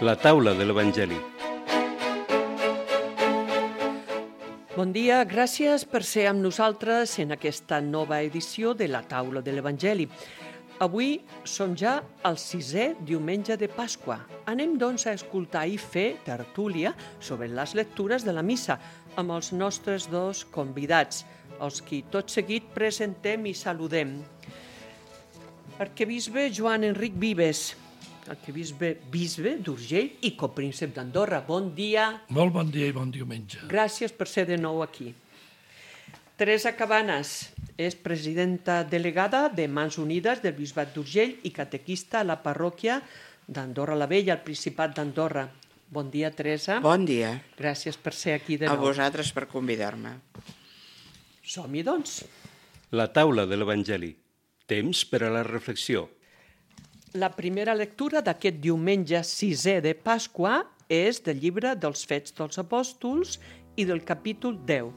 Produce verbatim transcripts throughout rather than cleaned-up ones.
La taula de l'Evangeli. Bon dia, gràcies per ser amb nosaltres en aquesta nova edició de la taula de l'Evangeli. Avui som ja al sisè diumenge de Pasqua. Anem, doncs, a escoltar i fer tertúlia sobre les lectures de la missa amb els nostres dos convidats, els qui tot seguit presentem i saludem. Arquebisbe Joan Enric Vives, arquebisbe bisbe d'Urgell i copríncep d'Andorra. Bon dia. Molt bon dia i bon diumenge. Gràcies per ser de nou aquí. Teresa Cabanas és presidenta delegada de Mans Unides del Bisbat d'Urgell i catequista a la parròquia d'Andorra la Vella, al Principat d'Andorra. Bon dia, Teresa. Bon dia. Gràcies per ser aquí de A nou. vosaltres per convidar-me. Som-hi, doncs. La taula de l'Evangeli. Temps per a la reflexió. La primera lectura d'aquest diumenge sisè de Pasqua és del llibre dels Fets dels Apòstols i del capítol deu.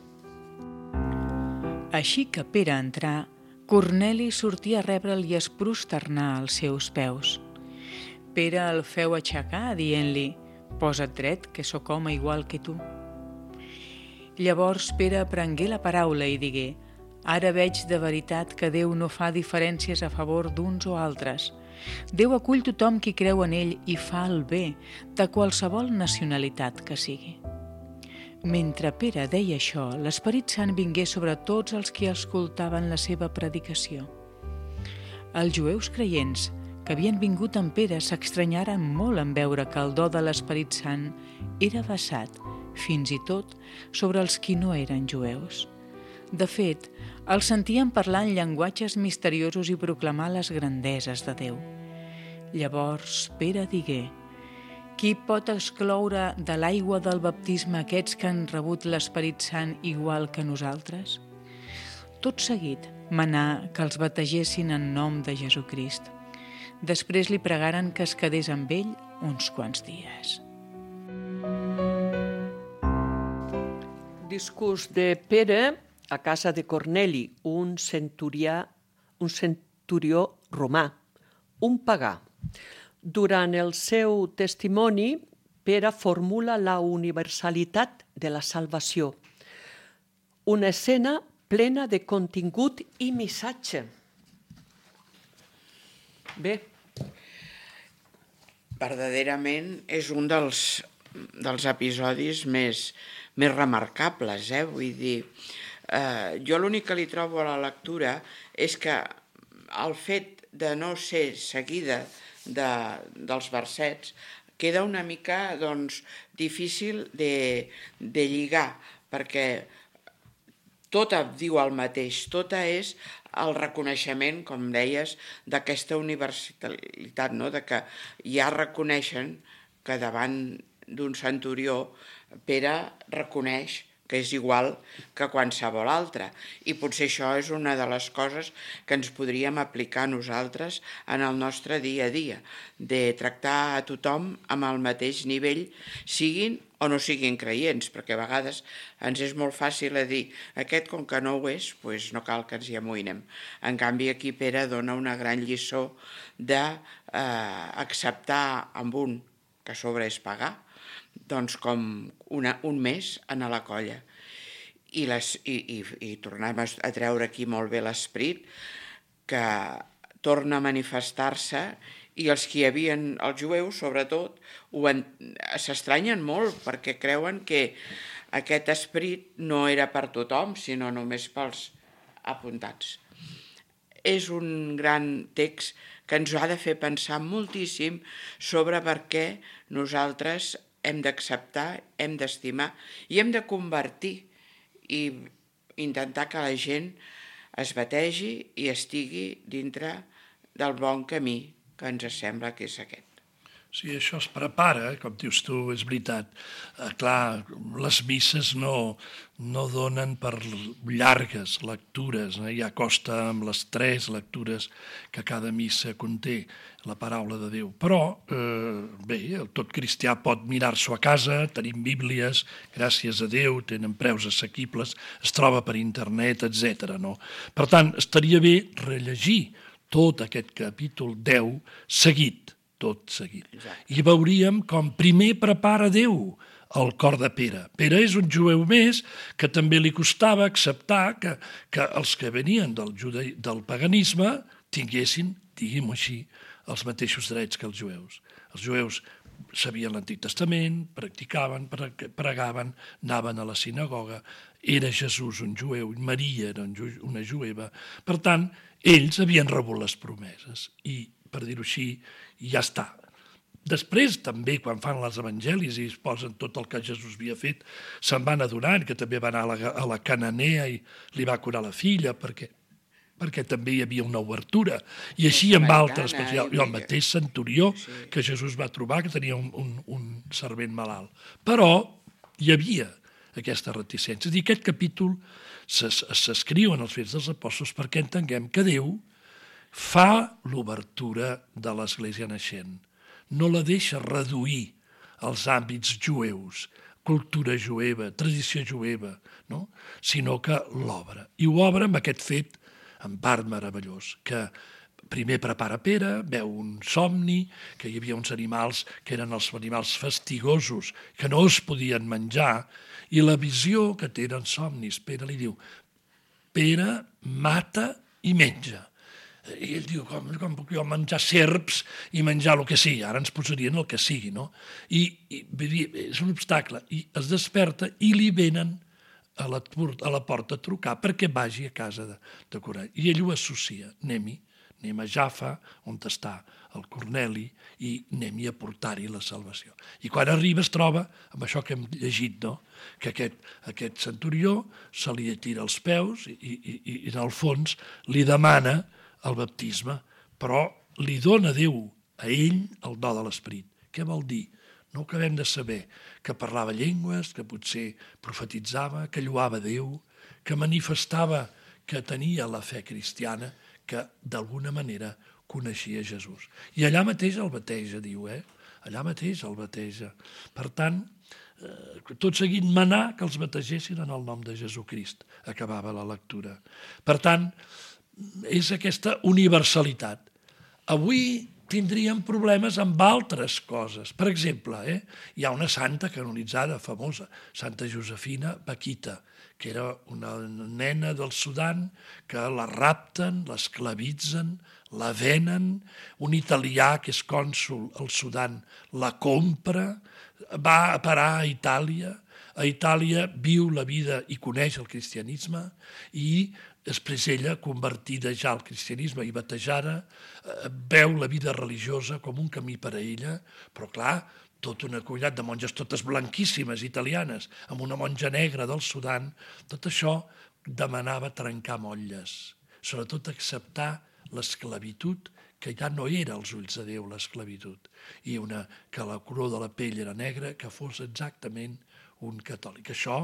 Així que Pere entrà, Corneli sortia a rebre'l i es prosternà als seus peus. Pere el feu aixecar, dient-li: «Posa't dret, que sóc home igual que tu». Llavors Pere prengué la paraula i digué: «Ara veig de veritat que Déu no fa diferències a favor d'uns o altres. Déu acull tothom qui creu en ell i fa el bé, de qualsevol nacionalitat que sigui». Mentre Pere deia això, l'Esperit Sant vingué sobre tots els qui escoltaven la seva predicació. Els jueus creients que havien vingut amb Pere s'estranyaren molt en veure que el do de l'Esperit Sant era vessat, fins i tot, sobre els qui no eren jueus. De fet, els sentien parlar en llenguatges misteriosos i proclamar les grandeses de Déu. Llavors Pere digué: «Qui pot excloure de l'aigua del baptisme aquests que han rebut l'Esperit Sant igual que nosaltres?» Tot seguit manà que els bategessin en nom de Jesucrist. Després li pregaren que es quedés amb ell uns quants dies. Discurs de Pere a casa de Corneli, un centurià, un centurió romà, un pagà. Durant el seu testimoni, Pere formula la universalitat de la salvació, una escena plena de contingut i missatge. Bé. Verdaderament és un dels, dels episodis més, més remarcables, eh? Vull dir, eh, jo l'únic que li trobo a la lectura és que el fet de no ser seguida de, dels versets queda una mica, doncs, difícil de, de lligar, perquè tota diu el mateix, tota és el reconeixement, com deies, d'aquesta universalitat, no? De que ja reconeixen que davant d'un centurió Pere reconeix que és igual que qualsevol altre. I potser això és una de les coses que ens podríem aplicar nosaltres en el nostre dia a dia, de tractar a tothom amb el mateix nivell, siguin o no siguin creients, perquè a vegades ens és molt fàcil a dir aquest com que no ho és, doncs no cal que ens hi amoïnem. En canvi aquí Pere dona una gran lliçó d'acceptar amb un, que a sobre és pagar, doncs com una, un més a la colla. I, les, i, i, i tornem a treure aquí molt bé l'esperit, que torna a manifestar-se, i els que hi havien, els jueus sobretot, s'estranyen molt perquè creuen que aquest esperit no era per tothom, sinó només pels apuntats. És un gran text que ens ha de fer pensar moltíssim sobre per què nosaltres hem d'acceptar, hem d'estimar i hem de convertir i intentar que la gent es bategi i estigui dintre del bon camí que ens sembla que és aquest. Sí, això es prepara, com dius tu, és veritat. Eh, clar, les misses no, no donen per llargues lectures, eh? Ja costa amb les tres lectures que cada missa conté la paraula de Déu. Però, eh, bé, tot cristià pot mirar-s'ho a casa, tenim bíblies, gràcies a Déu, tenen preus assequibles, es troba per internet, etcètera. No? Per tant, estaria bé rellegir tot aquest capítol deu seguit, tot seguit. I veuríem com primer prepara Déu el cor de Pere. Pere és un jueu més que també li costava acceptar que, que els que venien del, jude... del paganisme tinguessin, diguem-ho així, els mateixos drets que els jueus. Els jueus sabien l'Antic Testament, practicaven, pregaven, anaven a la sinagoga, era Jesús un jueu, Maria era una jueva. Per tant, ells havien rebut les promeses i, per dir-ho així, ja està. Després, també, quan fan els evangelis i es posen tot el que Jesús havia fet, se'n van adonant que també va anar a la, a la Cananea i li va curar la filla, perquè, perquè també hi havia una obertura. I així amb altres, i el mateix centurió que Jesús va trobar, que tenia un, un, un servent malalt. Però hi havia aquesta reticència. I aquest capítol s'escriu en els Fets dels Apòstols perquè entenguem que Déu fa l'obertura de l'Església naixent. No la deixa reduir als àmbits jueus, cultura jueva, tradició jueva, no? Sinó que l'obre. I ho obre amb aquest fet, en part meravellós, que primer prepara Pere, veu un somni, que hi havia uns animals que eren els animals fastigosos, que no es podien menjar, i la visió que té en somnis, Pere li diu, Pere mata i menja. I ell diu, com, com puc jo menjar serps i menjar el que sigui? Ara ens posarien el que sigui, no? I, i és un obstacle. I es desperta i li venen a la, a la porta a trucar perquè vagi a casa de, de curar. I ell ho associa. Anem-hi, anem a Jaffa, on està el Corneli, i anem-hi a portar-hi la salvació. I quan arriba es troba amb això que hem llegit, no? Que aquest, aquest centurió se li tira els peus i, i, i en el fons li demana el baptisme, però li dona Déu a ell el do de l'esperit. Què vol dir? No acabem de saber que parlava llengües, que potser profetitzava, que lloava Déu, que manifestava que tenia la fe cristiana, que d'alguna manera coneixia Jesús. I allà mateix el bateja, diu, eh? Allà mateix el bateja. Per tant, eh, tot seguit manar que els bategessin en el nom de Jesucrist. Acabava la lectura. Per tant, és aquesta universalitat. Avui tindríem problemes amb altres coses. Per exemple, eh, hi ha una santa canonitzada famosa, Santa Josefina Bakhita, que era una nena del Sudan que la rapten, l'esclavitzen, la venen, un italià que és cònsol al Sudan la compra, va a parar a Itàlia, a Itàlia viu la vida i coneix el cristianisme i després ella, convertida ja al cristianisme i batejada, veu la vida religiosa com un camí per a ella, però clar, tota una comunitat de monges totes blanquíssimes, italianes, amb una monja negra del Sudan, tot això demanava trencar motlles, sobretot acceptar l'esclavitud, que ja no era als ulls de Déu l'esclavitud, i una, que la color de la pell era negra, que fos exactament un catòlic. Això,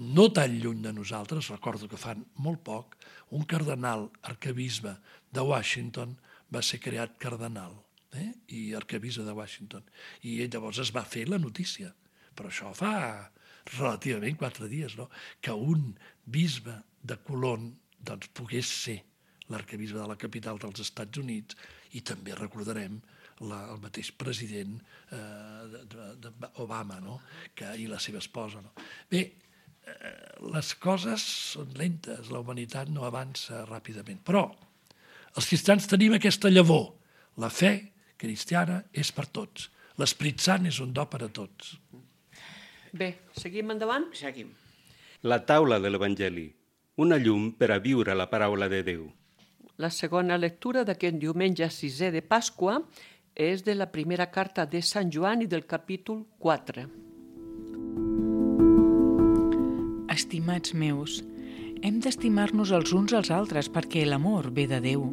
no tan lluny de nosaltres, recordo que fan molt poc, un cardenal arquebisbe de Washington va ser creat cardenal, eh? I arquebisbe de Washington. I llavors es va fer la notícia. Però això fa relativament quatre dies, no? Que un bisbe de Colón doncs, pogués ser l'arquebisbe de la capital dels Estats Units, i també recordarem la, el mateix president eh, de, de Obama, no? Que, i la seva esposa. No? Bé, eh, les coses són lentes, la humanitat no avança ràpidament, però els cristians tenim aquesta llavor. La fe cristiana és per tots. L'Esperit Sant és un do per a tots. Bé, seguim endavant? Seguim. La taula de l'Evangeli, una llum per a viure la paraula de Déu. La segona lectura d'aquest diumenge sisè de Pasqua és de la primera carta de Sant Joan i del capítol quatre. Estimats meus, hem d'estimar-nos els uns als altres perquè l'amor ve de Déu.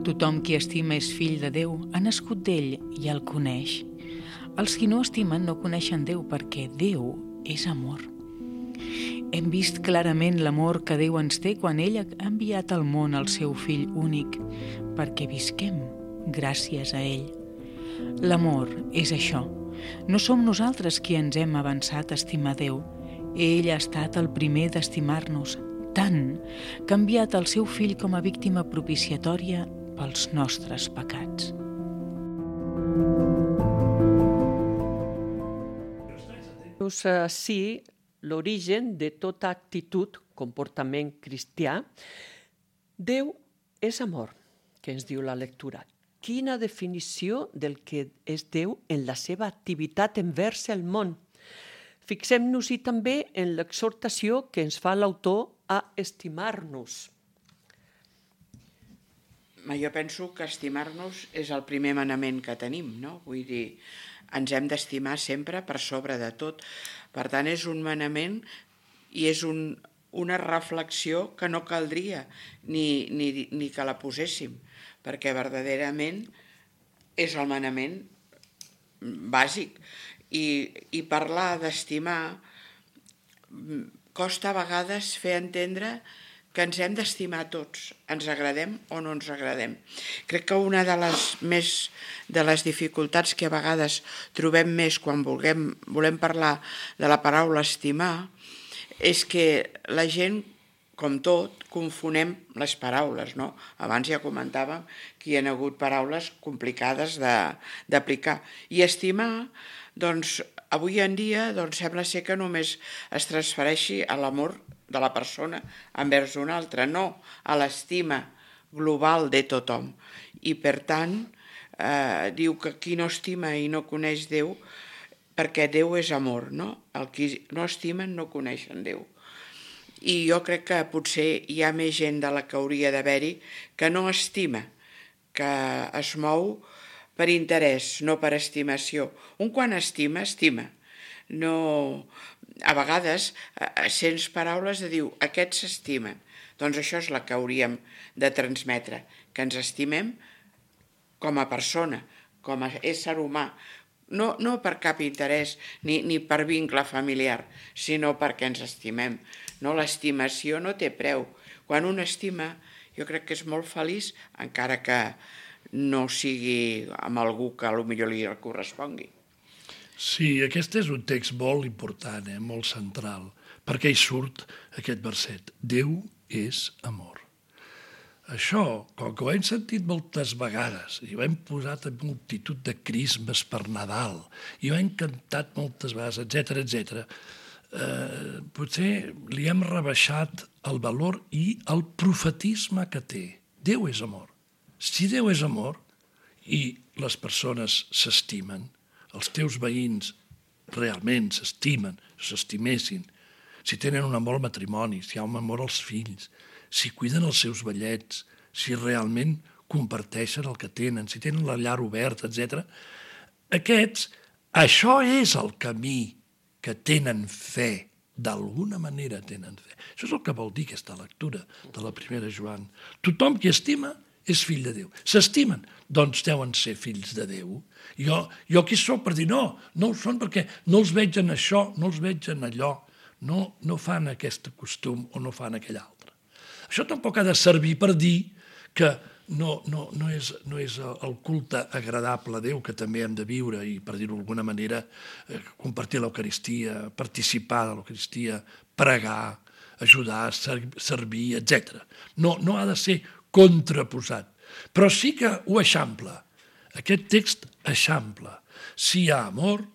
Tothom qui estima és fill de Déu, ha nascut d'ell i el coneix. Els qui no estimen no coneixen Déu perquè Déu és amor. Hem vist clarament l'amor que Déu ens té quan ell ha enviat al món el seu fill únic, perquè visquem gràcies a ell. L'amor és això. No som nosaltres qui ens hem avançat a estimar Déu. Ell ha estat el primer d'estimar-nos, tant que ha enviat el seu fill com a víctima propiciatòria pels nostres pecats. explicar-nos així l'origen de tota actitud, comportament cristià. Déu és amor, que ens diu la lectura. Quina definició del que és Déu en la seva activitat envers el món. Fixem-nos-hi també en l'exhortació que ens fa l'autor a estimar-nos. Jo penso que estimar-nos és el primer manament que tenim, no? Vull dir, ens hem d'estimar sempre per sobre de tot. Per tant, és un manament i és un, una reflexió que no caldria ni, ni, ni que la poséssim, perquè verdaderament és el manament bàsic. I, i parlar d'estimar costa a vegades fer entendre que ens hem d'estimar tots, ens agradem o no ens agradem. Crec que una de les, més, de les dificultats que a vegades trobem més quan vulguem, volem parlar de la paraula estimar és que la gent, com tot, confonem les paraules, no? Abans ja comentàvem que hi ha hagut paraules complicades d'aplicar. I estimar, doncs, avui en dia doncs, sembla ser que només es transfereixi a l'amor de la persona envers una altra, no a l'estima global de tothom. I per tant, eh, diu que qui no estima i no coneix Déu, perquè Déu és amor, no? El qui no estimen no coneixen Déu. I jo crec que potser hi ha més gent de la que hauria d'haver-hi que no estima, que es mou per interès, no per estimació. Un quan estima, estima. No... A vegades sents paraules de dir aquests s'estimen. Doncs això és la que hauríem de transmetre, que ens estimem com a persona, com a ésser humà, no, no per cap interès ni, ni per vincle familiar, sinó perquè ens estimem. No, l'estimació no té preu. Quan un estima, jo crec que és molt feliç, encara que no sigui amb algú que potser li correspongui. Sí, aquest és un text molt important, eh? Molt central, perquè hi surt aquest verset. Déu és amor. Això, com que ho hem sentit moltes vegades, i ho hem posat en multitud de crismes per Nadal, i ho hem cantat moltes vegades, etcètera, etcètera, eh, potser li hem rebaixat el valor i el profetisme que té. Déu és amor. Si Déu és amor i les persones s'estimen, els teus veïns realment s'estimen, s'estimessin, si tenen un amor al matrimoni, si hi ha un amor als fills, si cuiden els seus vellets, si realment comparteixen el que tenen, si tenen la llar oberta, etcètera. Aquests, això és el camí que tenen fe, d'alguna manera tenen fe. Això és el que vol dir aquesta lectura de la primera Joan. Tothom qui estima és fill de Déu. S'estimen, doncs deuen ser fills de Déu. Jo, jo qui sóc per dir no, no ho són perquè no els veig en això, no els veig en allò, no, no fan aquest costum o no fan aquell altre. Això tampoc ha de servir per dir que no, no, no, és, no és el culte agradable a Déu que també hem de viure i, per dir-ho d'alguna manera, eh, compartir l'Eucaristia, participar de l'Eucaristia, pregar, ajudar, servir, etcètera. No, no ha de ser contraposat, però sí que ho eixampla. Aquest text eixampla. Si hi ha amor,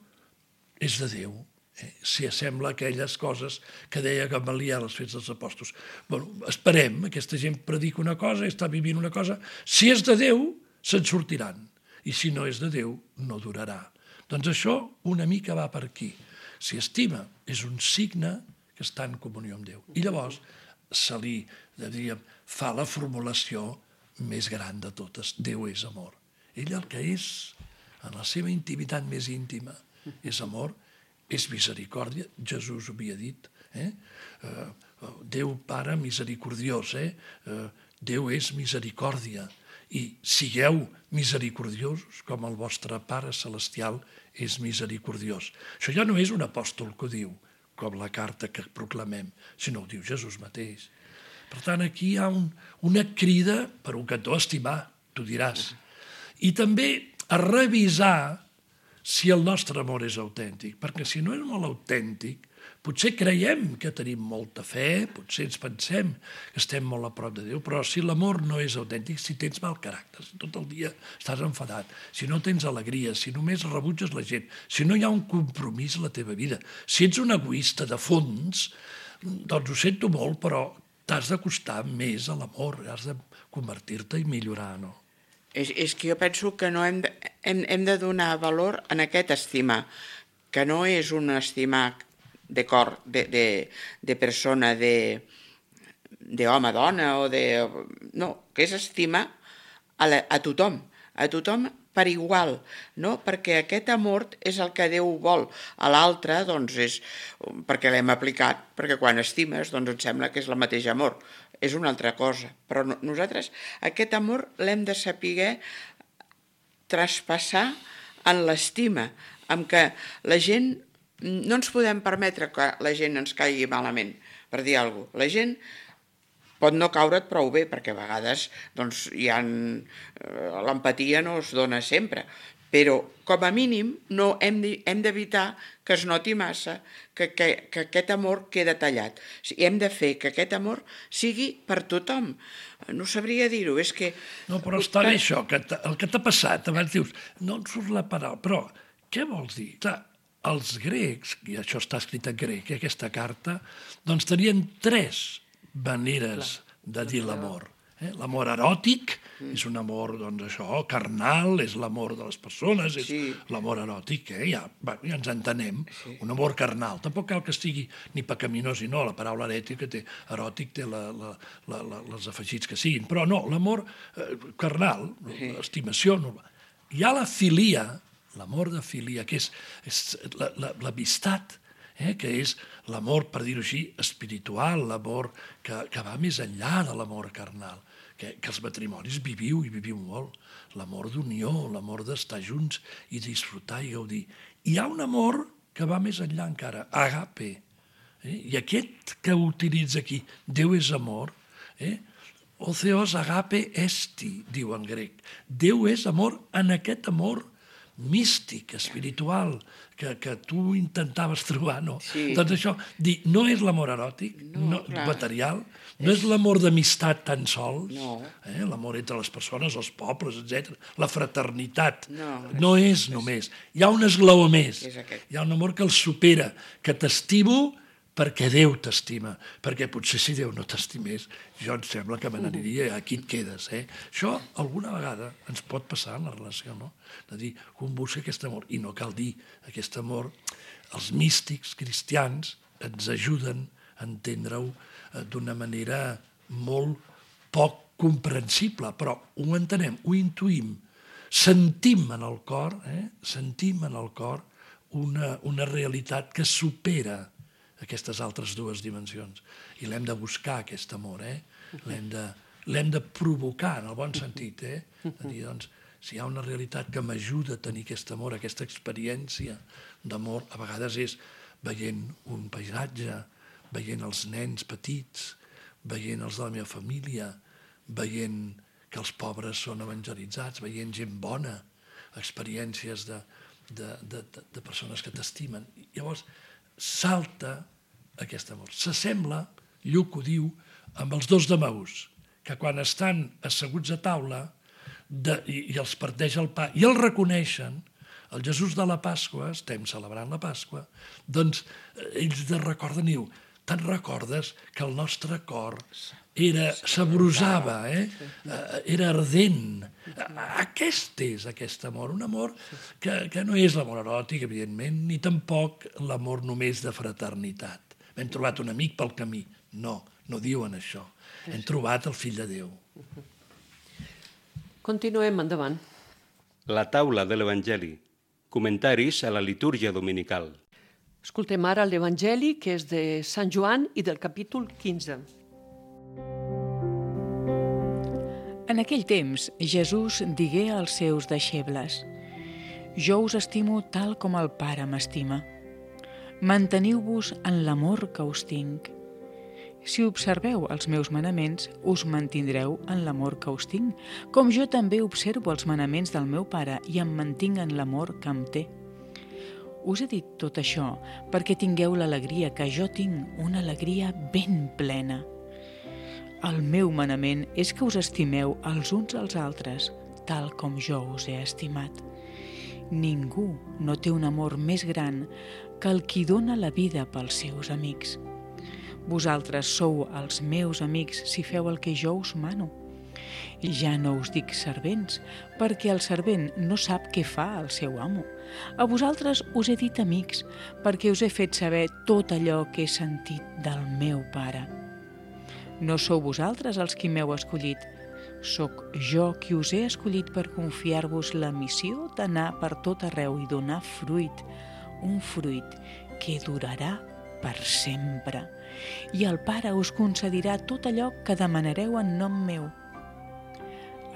és de Déu. Eh? Si assembla aquelles coses que deia Gamaliel als Fets dels Apòstols. Bueno, esperem, aquesta gent predica una cosa, està vivint una cosa. Si és de Déu, se'n sortiran. I si no és de Déu, no durarà. Doncs això una mica va per aquí. Si estima, és un signe que està en comunió amb Déu. I llavors se li, diríem, fa la formulació més gran de totes. Déu és amor. Ell el que és, en la seva intimitat més íntima, és amor, és misericòrdia. Jesús ho havia dit. Eh? Uh, Déu Pare misericordiós. Eh? Uh, Déu és misericòrdia. I sigueu misericordiosos com el vostre Pare Celestial és misericordiós. Això ja no és un apòstol que ho diu, com la carta que proclamem, sinó ho diu Jesús mateix. Per tant, aquí hi ha un, una crida per un cantó a estimar, tu diràs. I també a revisar si el nostre amor és autèntic, perquè si no és molt autèntic, Potser creiem que tenim molta fe, potser ens pensem que estem molt a prop de Déu, però si l'amor no és autèntic, si tens mal caràcter, si tot el dia estàs enfadat, si no tens alegria, si només rebutges la gent, si no hi ha un compromís a la teva vida, si ets un egoista de fons, doncs ho sento molt, però t'has d'acostar més a l'amor, has de convertir-te i millorar, no? És, és que jo penso que no hem de, hem, hem de donar valor en aquest estimar, que no és un estimar de cor, de, de, de persona, de, de home-dona, o de... No, que és estimar a, la, a tothom, a tothom per igual, no? Perquè aquest amor és el que Déu vol. A l'altre, doncs, és perquè l'hem aplicat, perquè quan estimes, doncs et sembla que és el mateix amor. És una altra cosa. Però no, nosaltres aquest amor l'hem de saber traspassar en l'estima, amb què la gent... No ens podem permetre que la gent ens caigui malament, per dir alguna cosa. La gent pot no caure't prou bé, perquè a vegades doncs, hi ha... l'empatia no es dona sempre, però com a mínim no hem d'evitar que es noti massa que, que, que aquest amor queda tallat. O sigui, hem de fer que aquest amor sigui per tothom. No sabria dir-ho, és que... No, però està bé això, que el que t'ha passat, abans dius, no en surt la paraula, però què vols dir? Clar, els grecs, i això està escrit en grec, aquesta carta, doncs tenien tres maneres de dir l'amor. Eh? L'amor eròtic mm. és un amor, doncs això, carnal, és l'amor de les persones, és sí. l'amor eròtic, eh? ja, va, ja ens entenem, sí. un amor carnal. Tampoc cal que estigui ni pecaminós ni no, la paraula eròtica té, eròtic té la, la, la, la, els afegits que siguin, però no, l'amor eh, carnal, sí. l'estimació, no. Hi ha la filia, l'amor de filia, que és, és l'amistat, eh, que és l'amor, per dir-ho així, espiritual, l'amor que, que va més enllà de l'amor carnal, que, que els matrimonis viviu i viviu molt, l'amor d'unió, l'amor d'estar junts i disfrutar i gaudir. Hi ha un amor que va més enllà encara, agape, eh? I aquest que utilitza aquí, Déu és amor, eh? O theos agape esti, diu en grec. Déu és amor en aquest amor místic, espiritual, que, que tu intentaves trobar, no? Sí. Doncs això, dir, no és l'amor eròtic, no, no, material, no és, és l'amor d'amistat tan sols, no. eh? L'amor entre les persones, els pobles, etcètera. La fraternitat no, no és, és només. Hi ha un esglaó més. Hi ha un amor que el supera, que t'estimo perquè Déu t'estima, perquè potser si Déu no t'estimés, jo em sembla que me n'aniria, aquí et quedes. Eh? Això alguna vegada ens pot passar en la relació, no? De dir, un busca aquest amor, i no cal dir aquest amor, els místics cristians ens ajuden a entendre-ho d'una manera molt poc comprensible, però ho entenem, ho intuïm, sentim en el cor, eh? sentim en el cor una, una realitat que supera aquestes altres dues dimensions. I l'hem de buscar, aquest amor, eh? L'hem de, l'hem de provocar, en el bon sentit, eh? De dir, doncs, si hi ha una realitat que m'ajuda a tenir aquest amor, aquesta experiència d'amor, a vegades és veient un paisatge, veient els nens petits, veient els de la meva família, veient que els pobres són evangelitzats, veient gent bona, experiències de, de, de, de persones que t'estimen. Llavors, salta aquest amor. S'assembla, Lluc ho diu, amb els dos d'Emaús, que quan estan asseguts a taula de, i, i els parteix el pa i el reconeixen, el Jesús de la Pasqua, estem celebrant la Pasqua, doncs ells de recorden i diu, te'n recordes que el nostre cor era, sabrosava, eh? Era ardent. Aquest és aquest amor, un amor que, que no és l'amor eròtic, evidentment, ni tampoc l'amor només de fraternitat. Hem trobat un amic pel camí. No, no diuen això. Hem trobat el fill de Déu. Continuem endavant. La taula de l'Evangeli. Comentaris a la litúrgia dominical. Escoltem ara l'Evangeli, que és de Sant Joan i del capítol quinze. En aquell temps, Jesús digué als seus deixebles: «Jo us estimo tal com el Pare m'estima. Manteniu-vos en l'amor que us tinc. Si observeu els meus manaments, us mantindreu en l'amor que us tinc, com jo també observo els manaments del meu Pare i em mantinc en l'amor que em té. Us he dit tot això perquè tingueu l'alegria que jo tinc, una alegria ben plena. El meu manament és que us estimeu els uns als altres, tal com jo us he estimat. Ningú no té un amor més gran que el qui dona la vida pels seus amics. Vosaltres sou els meus amics si feu el que jo us mano. I ja no us dic servents, perquè el servent no sap què fa el seu amo. A vosaltres us he dit amics, perquè us he fet saber tot allò que he sentit del meu pare. No sou vosaltres els qui m'heu escollit, sóc jo qui us he escollit per confiar-vos la missió d'anar per tot arreu i donar fruit, un fruit que durarà per sempre. I el Pare us concedirà tot allò que demanareu en nom meu.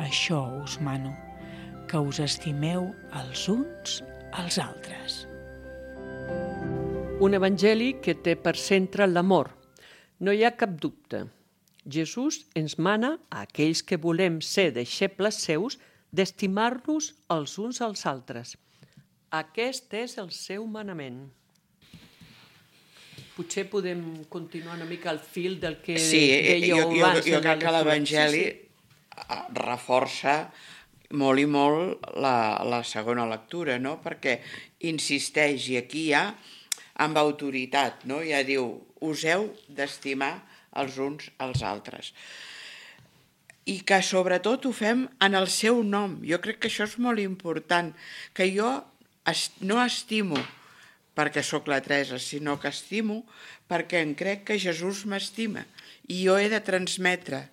Això us mano, que us estimeu els uns als altres. Un evangeli que té per centre l'amor. No hi ha cap dubte. Jesús ens mana a aquells que volem ser deixebles seus d'estimar-nos els uns als altres. Aquest és el seu manament. Potser podem continuar una mica al fil del que sí, dèieu jo, abans. Jo, jo crec que l'Evangeli sí, sí. reforça molt i molt la, la segona lectura, no? Perquè insisteix, i aquí ja amb autoritat, no? Ja diu, us heu d'estimar els uns als altres. I que sobretot ho fem en el seu nom. Jo crec que això és molt important, que jo no estimo perquè sóc la Teresa, sinó que estimo perquè em crec que Jesús m'estima i jo he de transmetre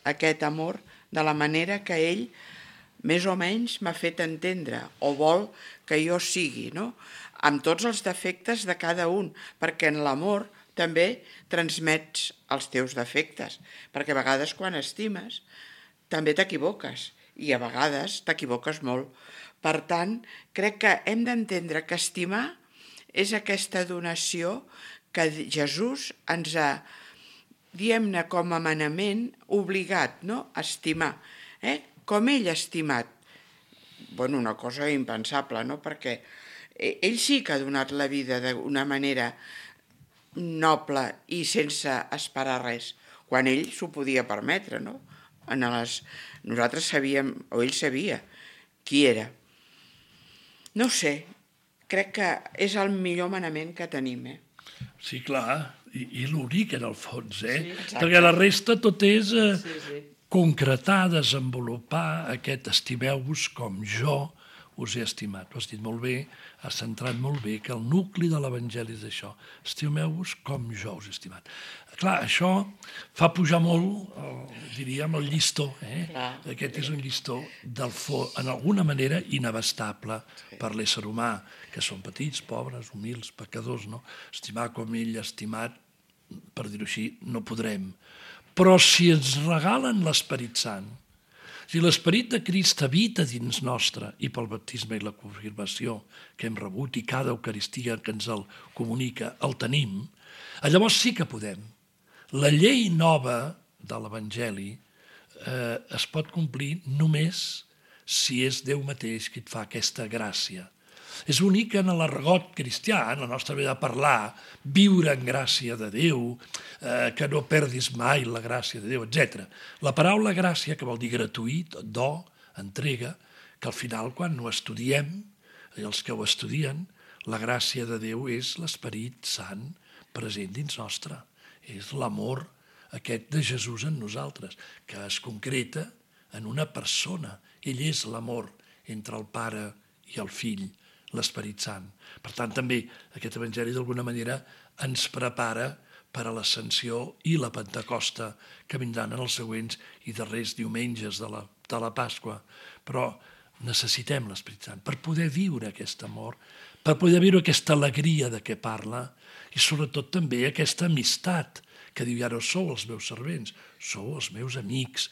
aquest amor de la manera que ell més o menys m'ha fet entendre o vol que jo sigui, no? Amb tots els defectes de cada un, perquè en l'amor també transmets els teus defectes, perquè a vegades quan estimes també t'equivoques i a vegades t'equivoques molt. Per tant, crec que hem d'entendre que estimar és aquesta donació que Jesús ens ha, diguem-ne, com a manament obligat, no?, a estimar. Eh? Com ell ha estimat. Bueno, una cosa impensable, no?, perquè ell sí que ha donat la vida d'una manera noble i sense esperar res, quan ell s'ho podia permetre, no? En les... Nosaltres sabíem, o ell sabia, qui era. No sé, crec que és el millor manament que tenim, eh? Sí, clar, i, i l'únic en el fons, eh? Sí, perquè la resta tot és eh, sí, sí. concretar, desenvolupar aquest estimeu-vos com jo us he estimat. Ho has dit molt bé, has centrat molt bé que el nucli de l'Evangeli és això. Estimeu-vos com jo us he estimat. Clar, això fa pujar molt, el, diríem, el llistó. Eh? Aquest és un llistó del fons, en alguna manera inabastable per l'ésser humà, que són petits, pobres, humils, pecadors, no? Estimar com ell ha estimat, per dir-ho així, no podrem. Però si ens regalen l'Esperit Sant, si l'Esperit de Crist habita dins nostre i pel baptisme i la confirmació que hem rebut i cada Eucaristia que ens el comunica el tenim, llavors sí que podem. La llei nova de l'Evangeli eh, es pot complir només si és Déu mateix qui et fa aquesta gràcia. És únic que en l'argot cristià, en la nostra manera de parlar, viure en gràcia de Déu, eh, que no perdis mai la gràcia de Déu, etcètera. La paraula gràcia, que vol dir gratuït, do, entrega, que al final quan ho estudiem, els que ho estudien, la gràcia de Déu és l'Esperit Sant present dins nostre. És l'amor aquest de Jesús en nosaltres, que es concreta en una persona. Ell és l'amor entre el Pare i el Fill, l'Esperit Sant. Per tant, també aquest Evangeli d'alguna manera ens prepara per a l'Ascensió i la Pentecosta que vindran en els següents i darrers diumenges de la, de la Pasqua. Però necessitem l'Esperit Sant per poder viure aquest amor, per poder viure aquesta alegria de què parla i sobretot també aquesta amistat que diu, ja no sou els meus servents, sou els meus amics.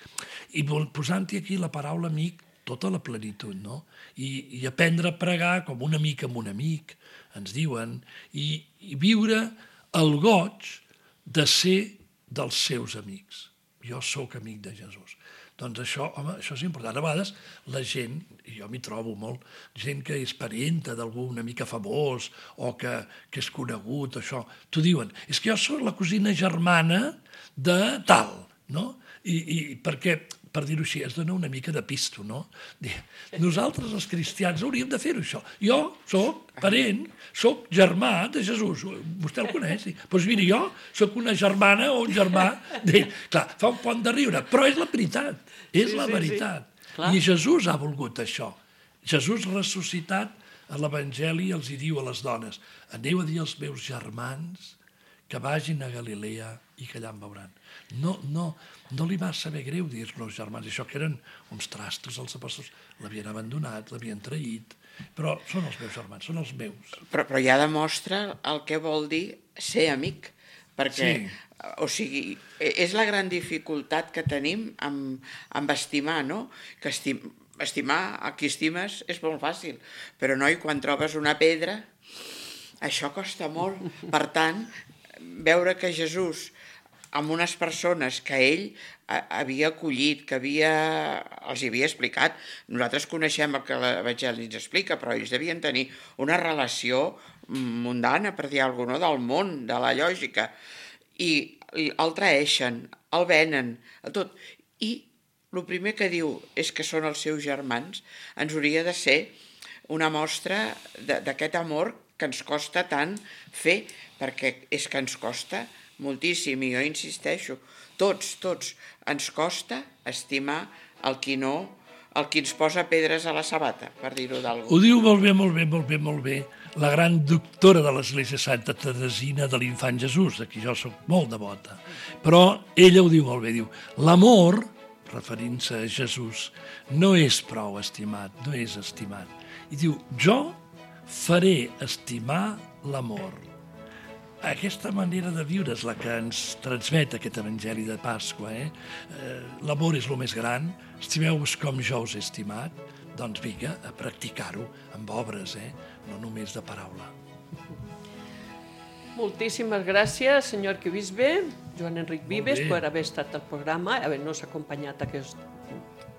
I posant-hi aquí la paraula amic, tota la plenitud, no? I, i aprendre a pregar com un amic amb un amic, ens diuen, i, i viure el goig de ser dels seus amics. Jo sóc amic de Jesús. Doncs això, home, això és important. A vegades la gent, i jo m'hi trobo molt, gent que és parenta d'algú una mica famós o que, que és conegut, això, t'ho diuen, és que jo soc la cosina germana de tal, no? I, i perquè, per dir-ho així, es dona una mica de pisto, no? Nosaltres, els cristians, hauríem de fer-ho, això. Jo soc parent, soc germà de Jesús. Vostè el coneix? Doncs miri, jo soc una germana o un germà d'ell. Clar, fa un pont de riure, però és la veritat, és Sí, la sí, veritat. sí. Clar. I Jesús ha volgut això. Jesús ressuscitat a l'Evangeli els hi diu a les dones: aneu a dir als meus germans que vagin a Galilea i que allà em veuran. No, no, no li va saber greu dir-los germans, això que eren uns trastos, els apòstols l'havien abandonat, l'havien traït, però són els meus germans, són els meus. Però, però ja demostra el que vol dir ser amic, perquè, Sí. o sigui, és la gran dificultat que tenim amb, amb estimar, no? Que estim, estimar a qui estimes és molt fàcil, però noi, quan trobes una pedra, això costa molt. Per tant, veure que Jesús, amb unes persones que ell havia acollit, que havia, els havia explicat. Nosaltres coneixem el que l'Evangeli ens explica, però ells devien tenir una relació mundana, per dir alguna cosa, del món, de la lògica. I el traeixen, el venen, el tot. I el primer que diu és que són els seus germans. Ens hauria de ser una mostra d'aquest amor que ens costa tant fer, perquè és que ens costa moltíssim, i jo insisteixo, tots, tots, ens costa estimar el qui no, el qui ens posa pedres a la sabata, per dir-ho d'algú. Ho diu molt bé, molt bé, molt bé, molt bé, la gran doctora de l'Església Santa Teresina de l'Infant Jesús, de qui jo soc molt devota. Però ella ho diu molt bé, diu, l'amor, referint-se a Jesús, no és prou estimat, no és estimat. I diu, jo faré estimar l'amor. Aquesta manera de viure és la que ens transmet aquest Evangeli de Pasqua. Eh? Eh, l'amor és el més gran, estimeu-vos com jo us he estimat, doncs vinga, a practicar-ho amb obres, eh? No només de paraula. Moltíssimes gràcies, senyor arquebisbe Joan Enric Vives, bé. per haver estat al programa, haver-nos acompanyat aquests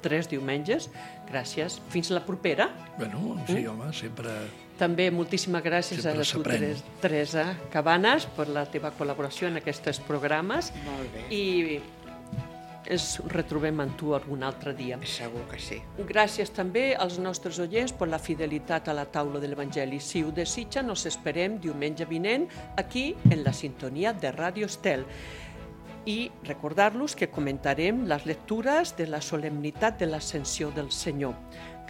tres diumenges. Gràcies. Fins la propera. Bueno, sí, home, sempre... També moltíssimes gràcies Sempre a tu, s'aprèn. Teres- Teresa Cabanes, per la teva col·laboració en aquests programes. Molt bé. I ens retrobem amb tu algun altre dia. Segur que sí. Gràcies també als nostres oients per la fidelitat a la taula de l'Evangeli. Si ho desitja, nos esperem diumenge vinent aquí en la sintonia de Ràdio Estel. I recordar-los que comentarem les lectures de la solemnitat de l'Ascensió del Senyor.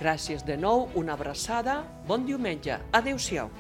Gràcies de nou, una abraçada, bon diumenge, adéu-siau.